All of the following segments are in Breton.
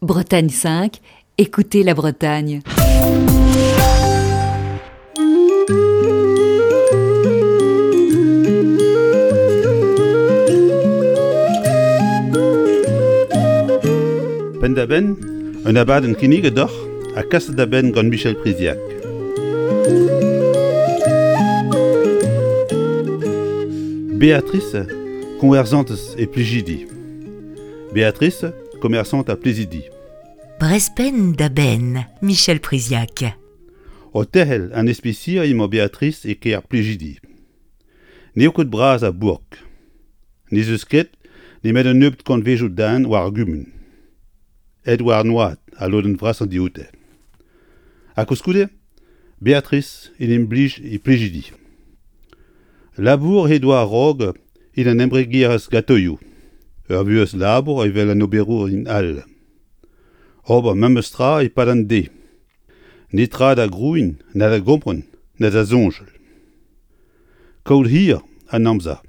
Bretagne 5, écoutez la Bretagne. Penn-da-benn, un abadenn kinniget deoc'h ha kaset da benn gant Michel Priziac. Béatrice, koñverzantez e Plijidi. Béatrice, commerçante à Plezidi. Brezpenn da benn, Michel Priziac. O terc'hel an ispisier emañ Béatrice e kêr Plijidi. N'eo ket bras ar bourk. N'ez eus ket nemet un nebeud kantvejoù den war ar gumun. Aet war an oad al lodenn vrasañ dioute. Ha koulskoude, Béatrice en em blij e Plijidi. Labour he doa a-raok en un embregerezh gatoioù, ur vuhez labour evel an oberourien all. Ober memes tra e-pad an deiz. Netra da grouiñ, na da gompren, na da soñjal. Kaout hir an amzer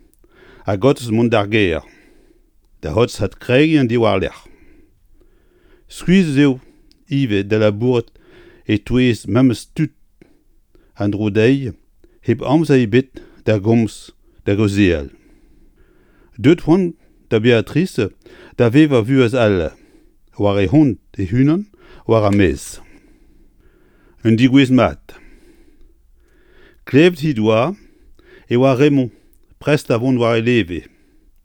ha gortoz mont d'ar gêr, da c'hortoz adkregiñ an deiz war-lerc'h. Skuizhus eo ivez da labourat e-touez memes tud en-dro dezhi hep amzer ebet da gomz, da gaozeal. Deuet c'hoant da Beatrice da vevañ vuhez all, war he c'hont he-unan war ar maez. Un degouezh mat. Klevet he doa e oa Raymond prest da vont war e leve.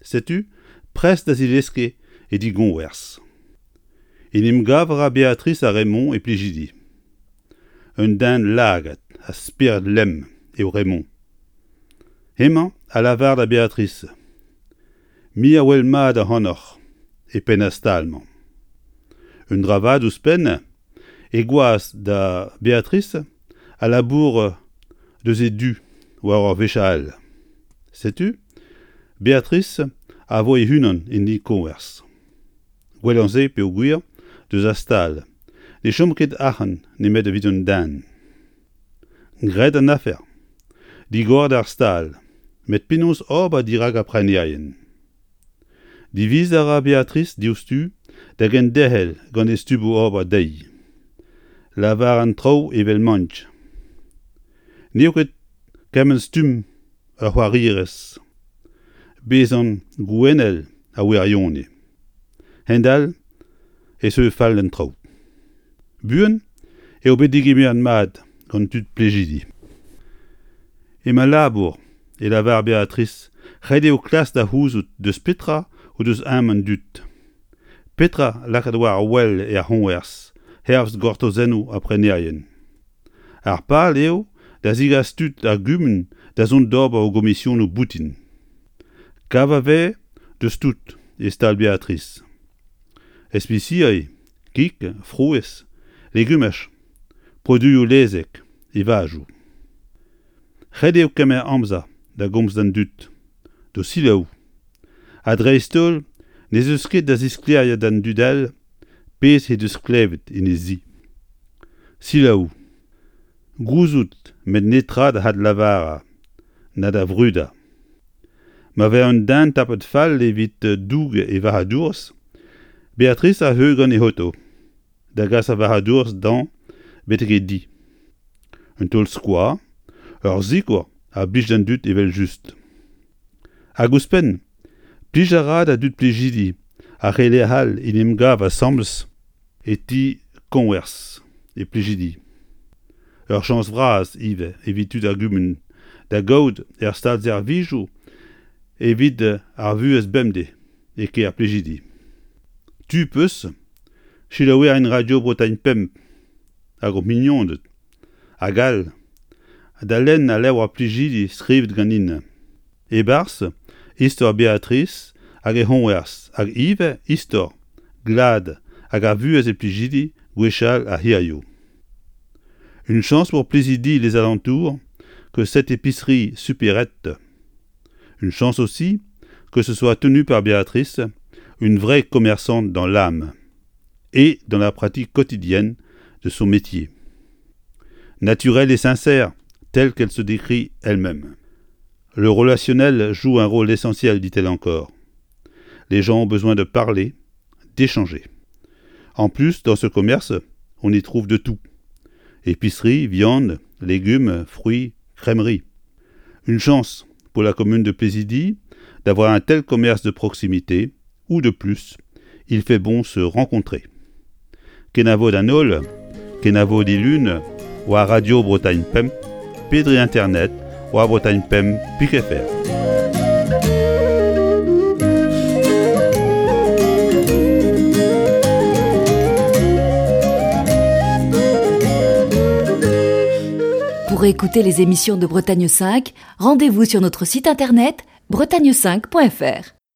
Setu prest da zileske e di-goñvers. En em gav a ra Beatrice ha Raymond e Plijidi. Un den lagad ha spered lemm eo Raymond. Hemañ a lavar da Beatrice Me a wel mat ac'hanoc'h e penn ar stal-mañ. Un dra vat ouzhpenn, e gwaz da Beatrice a labour deus e du war ur wech all. Setu, Beatrice a vo e-unan en e-koñvers. Gwellañ se peogwir deus ar stal ne chom ket arc'hant nemet evit un den. Graet an afer. Digoret ar stal, met penaos ober dirak ar prenerien? Diviz a ra Beatrice diouzhtu da genderc'hel gant he stummoù ober dezhi. Lavar an traoù evel m'emaint. N'eo ket kement stumm ur c'hoarierez. Bezañ gouennel a wirionez. Hend-all e zeu fall an traoù. Buan eo bet degemeret mat gant tud Plijidi. Emañ labour, e lavar Beatrice, ret eo klask da c'houzout deus petra o deus aon an dud. Petra lakaat war wel er c'hoñvers hervez gortozennoù ar prenerien. Ar pal eo da zegas tud ar gumun da zont d'ober o gomisionoù boutin. Kav a vez deus tout e stal Beatrice. Ispisial, kig, frouezh, legumaj, produioù lezek, evajoù. Ret eo kemer amzer da gomz d'an dud, d'o selaou. Ha dreist-holl n'ez eus ket da zisklêriañ d'an dud all pezh he deus klevet en he zi. Selaou. Gouzout met netra da adlavarañ na da vrudañ. Ma vez un den tapet fall evit doug e varc'hadourezh, Beatrice a zeu gant e oto da gas ar varc'hadourezh dañ betek e di. Un taol-skoaz, ur sikour a blij d'an dud evel-just. Hag ouzhpenn, plij a ra da dud Plijidi ar re lec'h all en em gav asambles e ti koñvers e Plijidi. Ur chañs vras ivez evit tud ar gumun da gaout er stad-servijoù evit ar vuhez bemdez e kêr Plijidi. Tu 'peus selaouerien Radio Bretagne Pemp hag ho mignoned hag all da lenn al levr Plijidi skrivet ganin. E-barzh istor Beatrice hag he c'hoñvers hag ivez istor glad hag ar vuhez e Plijidi gwechall ha hiziv. Une chance pour Plizidi les alentours que cette épicerie supérette. Une chance aussi que ce soit tenu par Béatrice, une vraie commerçante dans l'âme et dans la pratique quotidienne de son métier. Naturelle et sincère, telle qu'elle se décrit elle-même. Le relationnel joue un rôle essentiel, dit-elle encore. Les gens ont besoin de parler, d'échanger. En plus, dans ce commerce, on y trouve de tout. Épicerie, viande, légumes, fruits, crèmerie. Une chance pour la commune de Plésidy d'avoir un tel commerce de proximité où de plus, il fait bon se rencontrer. Kenavo d'an holl, kenavo dilun, war Radio Bretagne Pemp, pe dre internet war bretagne5.fr. Pour écouter les émissions de Bretagne 5, rendez-vous sur notre site internet bretagne5.fr.